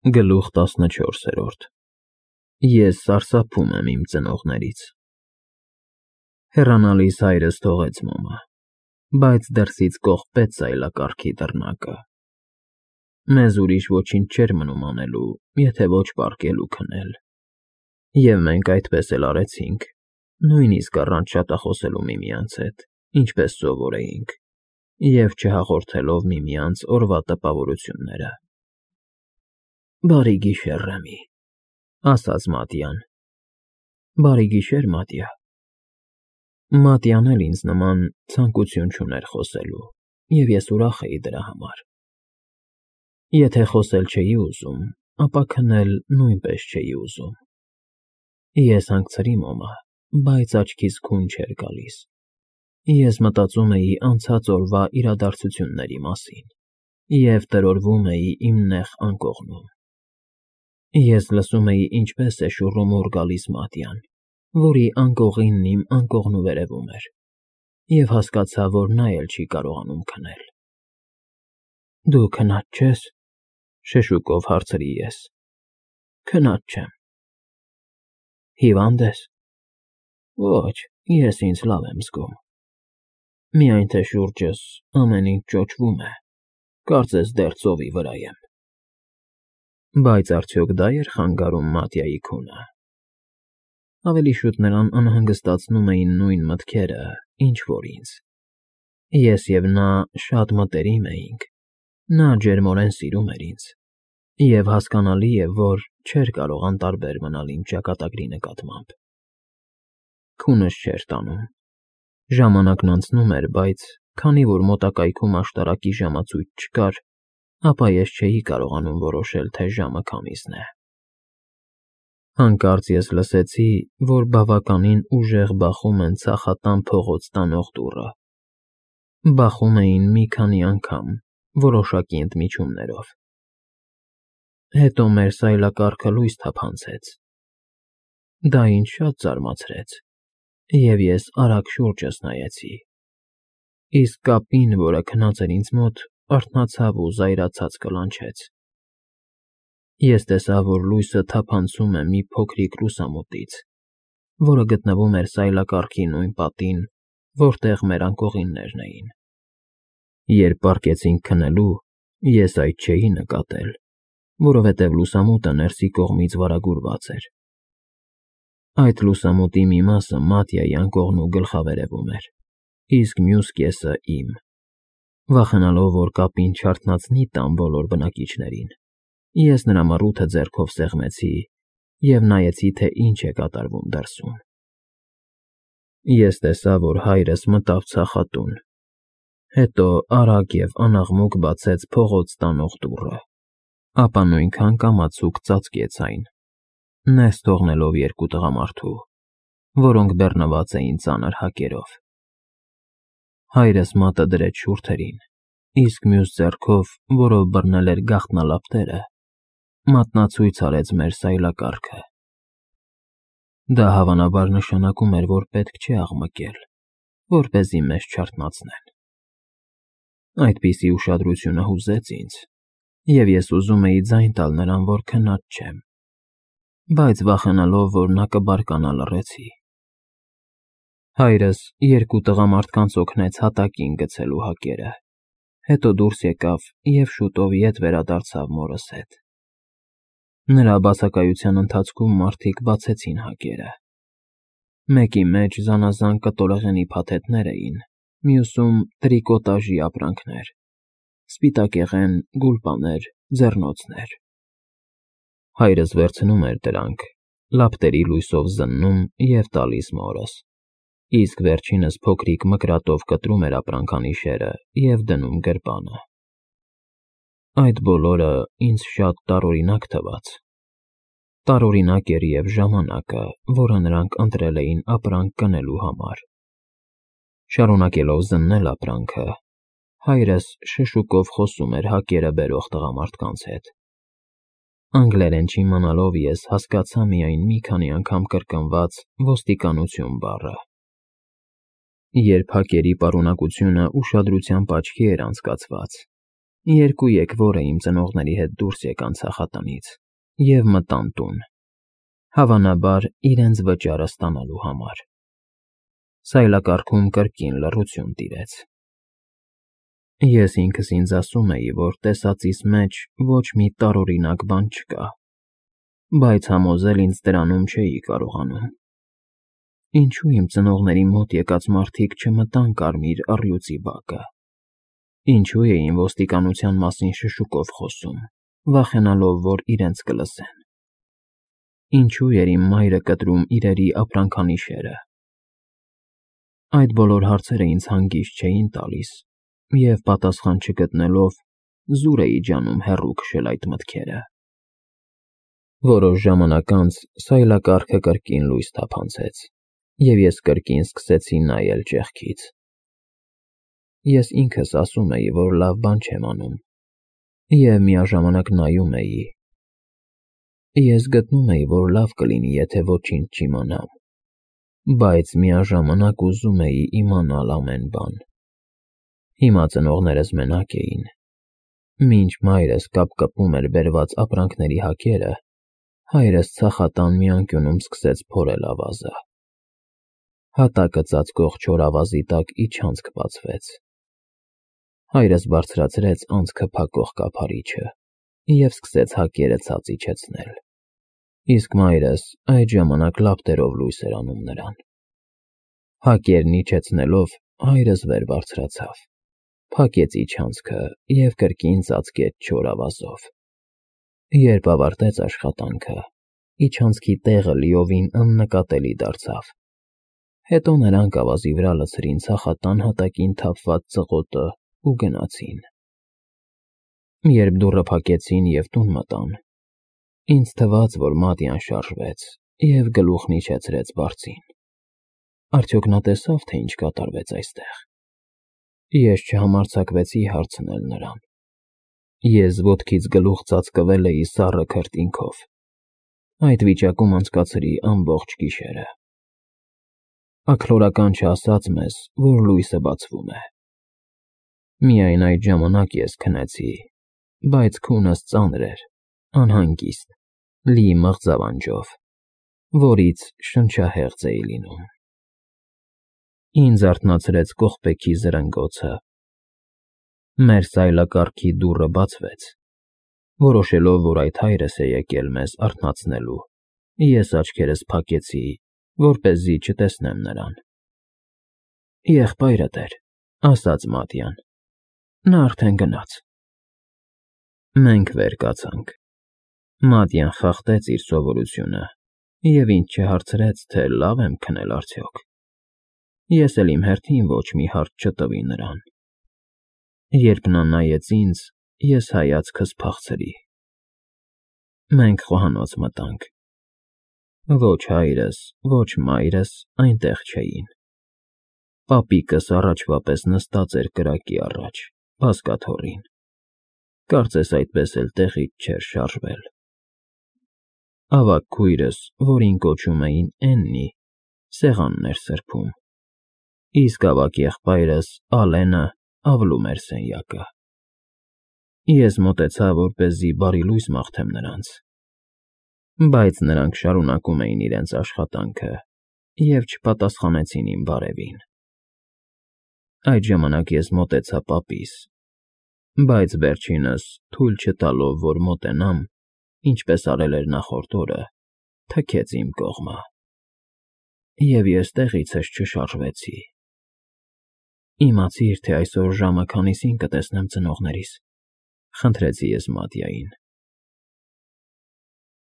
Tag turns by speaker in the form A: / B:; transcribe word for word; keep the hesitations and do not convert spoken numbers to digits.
A: Գլուխ տասնչորսերորդ Ես սարսափում եմ իմ ծնողներից։ Հեռանալիս հայրս թողեց մոմը, բայց դրսից կողպեց սայլակառքի դռնակը։ Մեզ ուրիշ ոչինչ չէր մնում անելու, եթե ոչ պառկել ու քնել, և մենք այդպես էլ արեցինք, նույնիսկ առանց շատախոսելու միմյանց հետ, ինչպես սովոր էինք, և չհաղորդելով միմյանց օրվա տպավորությունները։ «Բարի գիշեր, Ռեմի», ասաց Մատյան։ «Բարի գիշեր, Մատյա»։ Մատյան էլ ինձ նման ցանկություն չուներ խոսելու, և ես ուրախ էի դրա համար։ Եթե խոսել չէի ուզում, ապա քնել նույնպես չէի ուզում։ Ես հանգցրի մոմը, բայց աչքիս քուն չէր գալիս։ Ես մտածում էի անցած օրվա իրադարձությունների մասին և տրորվում էի իմ նեղ անկողնում։ Ես լսում էի ինչպես է շուռումուռ գալիս Մատյան, որի անկողինն իմ անկողնու վերևում էր, և հասկացա, որ նա էլ չի կարողանում քնել։ «Դու քնած չե՞ս», շշուկով հարցրի ես։ «Քնած չեմ»։ «Հիվա՞նդ ես»։ «Ոչ, ես ինձ լավ եմ զգում։ Միայն թե շուրջս ամեն ինչ ճոճվում է, կարծես դեռ ծովի վրա եմ»։ Բայց արդյոք դա էր խանգարում Մատյայի քունը։ Ավելի շուտ նրան անհանգստացնում էին նույն մտքերը, ինչ որ ինձ։ Ես և նա շատ մտերիմ էինք, նա ջերմորեն սիրում էր ինձ, և հասկանալի է, որ չէր կարող անտարբեր մնալ իմ ճակատագրի նկատմամբ։ Քունս չէր տանում։ Ժամանակն անցնում էր, բայց քանի որ մոտակայքում աշտարակի ժամացույց չկար, ապա ես չէի կարողանում որոշել, թե ժամը քամիսն է։ Հանկարծ ես լսեցի, որ բավականին ուժեղ բախում են ցախատան փողոց տանող դուռը։ Բախում էին մի քանի անգամ, որոշակի ընդմիջումներով։ Հետո մեր սայլակառքը լույս թափանցեց։ Դա ինձ շատ զարմացրեց, և ես արագ շուրջս նայեցի։ Իսկ կապին, որը քնած էր ինձ մոտ, արթնացավ ու զայրացած կլանչեց։ Ես տեսա, որ լույսը թափանցում է մի փոքրիկ լուսամուտից, որը գտնվում էր սայլակառքի նույն պատին, որտեղ մեր անկողիններն էին։ Երբ պառկեցինք քնելու, ես այդ չէի նկատել, որովհետև լուսամուտը ներսի կողմից վարագուրված էր։ Այդ լուսամուտի մի մասը Մատյայի անկողնու գլխավերևում էր, իսկ մյուս կեսը՝ իմ։ Վախենալով, որ կապին չարթնացնի տան բոլոր բնակիչներին, ես նրա մռութը ձեռքով սեղմեցի և նայեցի, թե ինչ է կատարվում դրսում։ Ես տեսա, որ հայրս մտավ ցախատուն, հետո արագ և անաղմուկ բացեց փողոց տանող դուռը, ապա նույնքան կամացուկ ծածկեց այն, ներս թողնելով երկու տղամարդու, որոնք բեռնված էին ծանր հակերով։ Հայրս մատը դրեց շուրթերին, իսկ մյուս ձեռքով, որով բռնել էր գաղտնալապտերը, մատնացույց արեց մեր սայլակառքը։ Դա հավանաբար նշանակում էր, որ պետք չէ աղմկել, որպեսզի մեզ չարթնացնեն։ Այդպիսի ուշադրությունը հուզեց ինձ, և ես ուզում էի ձայն տալ նրան, որ քնած չեմ, բայց վախենալով, որ նա կբարկանա, լռեցի։ Հայրս երկու տղամարդկանց օգնեց հատակին գցելու հակերը, հետո դուրս եկավ և շուտով ետ վերադարձավ մորս հետ։ Նրա բացակայության ընթացքում մարդիկ բացեցին հակերը։ Մեկի մեջ զանազան կտորեղենի փաթեթներ էին, մյուսում տրիկոտաժի ապրանքներ՝ սպիտակեղեն, գուլպաներ, ձեռնոցներ։ Հայրս վերցնում էր դրանք, լապտերի լույսով զննում և տալիս մորս, իսկ վերջինս փոքրիկ մկրատով կտրում էր ապրանքանիշերը և դնում գրպանը։ Այդ բոլորը ինձ շատ տարօրինակ թվաց։ Տարօրինակ էր և ժամանակը, որը նրանք ընտրել էին ապրանք գնելու համար։ Շարունակելով զննել ապրանքը, հայրս շշուկով խոսում էր հակերը բերող տղամարդկանց հետ։ Անգլերեն չիմանալով ես հասկացա միայն մի քանի անգամ կրկնված ոստիկանություն բառը։ Երբ հակերի պարունակությունը ուշադրությամբ աչքի էր անցկացված, Երկու եկվորը իմ ծնողների հետ դուրս եկան ցախատնից և մտան տուն, հավանաբար իրենց վճարը ստանալու համար։ Սայլակառքում կրկին լռություն տիրեց։ Ես ինքս ինձ ասում էի, որ տեսածիս մեջ ոչ մի տարօրինակ բան չկա, բայց համոզել ինձ դրանում չէի կարողանում։ Ինչո՞ւ իմ ծնողների մոտ եկած մարդիկ չմտան կարմիր առյուծի բակը։ Ինչո՞ւ էին ոստիկանության մասին շշուկով խոսում, վախենալով, որ իրենց կլսեն։ Ինչո՞ւ էր իմ մայրը կտրում իրերի ապրանքանիշերը։ Այդ բոլոր հարցերը ինձ հանգիստ չէին տալիս, և պատասխան չգտնելով, զուր էի ջանում հեռու քշել այդ մտքերը։ Որոշ ժամանակ անց սայլակառքը կրկին լույս թափանցեց, և ես կրկին սկսեցի նայել ճեղքից։ Ես ինքս ասում էի, որ լավ բան չեմ անում, և միաժամանակ նայում էի։ Ես գտնում էի, որ լավ կլինի, եթե ոչինչ չիմանամ, բայց միաժամանակ ուզում էի իմանալ ամեն բան։ Հիմա ծնողներս մենակ էին։ Մինչ մայրս կապկպում էր բերված ապրանքների հակերը, հայրս ցախատան մի անկյունում սկսեց փորել ավազը։ Հատակը ծածկող չոր ավազի տակ իջանցք բացվեց։ Հայրս բարձրացրեց անցքը փակող կափարիչը և սկսեց հակերը ցած իջեցնել, իսկ մայրս այդ ժամանակ լապտերով լույս էր անում նրան։ Հակերն իջեցնելով, հայրս վեր բարձրացավ, փակեց իջանցքը և կրկին ծածկեց չոր ավազով։ Երբ ավարտեց աշխատանքը, իջանցքի տեղը լիովին աննկատելի դարձավ։ Հետո նրանք ավազի վրա լցրին ցախատան հատակին թափված ծղոտն ու գնացին։ Երբ դուռը փակեցին և տուն մտան, ինձ թվաց, որ Մատյան շարժվեց և գլուխն իջեցրեց բարձին։ Արդյոք նա տեսա՞վ, թե ինչ կատարվեց այստեղ։ Ես չհամարձակվեցի հարցնել նրան։ Ես ոտքից գլուխ ծածկվել էի սառը քրտինքով։ Այդ վիճակում անցկացրի ամբողջ գիշերը։ Աքլորական չասաց մեզ, որ լույսը բացվում է։ Միայն այդ ժամանակ ես քնեցի, բայց քունս ծանր էր, անհանգիստ, լի մղձավանջով, որից շնչահեղձ էի լինում։ Ինձ արթնացրեց կողպեքի զրնգոցը։ Մեր սայլակառքի դուռը բացվեց։ Որոշելով, որ այդ հայրս է եկել մեզ արթնացնելու, ես աչքերս փակեցի, որպեսզի չտեսնեմ նրան։ Եղբայրդ էր, ասաց Մատյան, նա արդեն գնաց։ Մենք վեր կացանք։ Մատյան խախտեց իր սովորությունը և ինձ չհարցրեց, թե լավ եմ քնել արդյոք։ Ես էլ իմ հերթին ոչ մի հարց չտվի նրան։ Երբ նա նայեց ինձ, ես հայացքս փախցրի։ Մենք խոհանոց մտանք։ Ոչ հայրս, ոչ մայրս այնտեղ չէին։ Պապիկս առաջվա պես նստած էր կրակի առաջ, բազկաթոռին։ Կարծես այդպես էլ տեղից չէր շարժվել։ Ավագ քույրս, որին կոչում էին Էննի, սեղանն էր սրբում, իսկ ավագ եղբայրս՝ Ալենը, ավլում էր սենյակը։ Ես մոտեցա, որպեսզի բարի լույս մաղթեմ նրանց, բայց նրանք շարունակում էին իրենց աշխատանքը և չպատասխանեցին իմ բարևին։ Այդ ժամանակ ես մոտեցա պապիս, բայց վերջինս, թույլ չտալով, որ մոտենամ, ինչպես արել էր նախորդ օրը, թքեց իմ կողմը, և ես տեղիցս չշարժվեցի։ Իմացիր, թե այսօր ժամը քանիսին կտեսնեմ ծնողներիս, խնդրեցի ես Մատյային։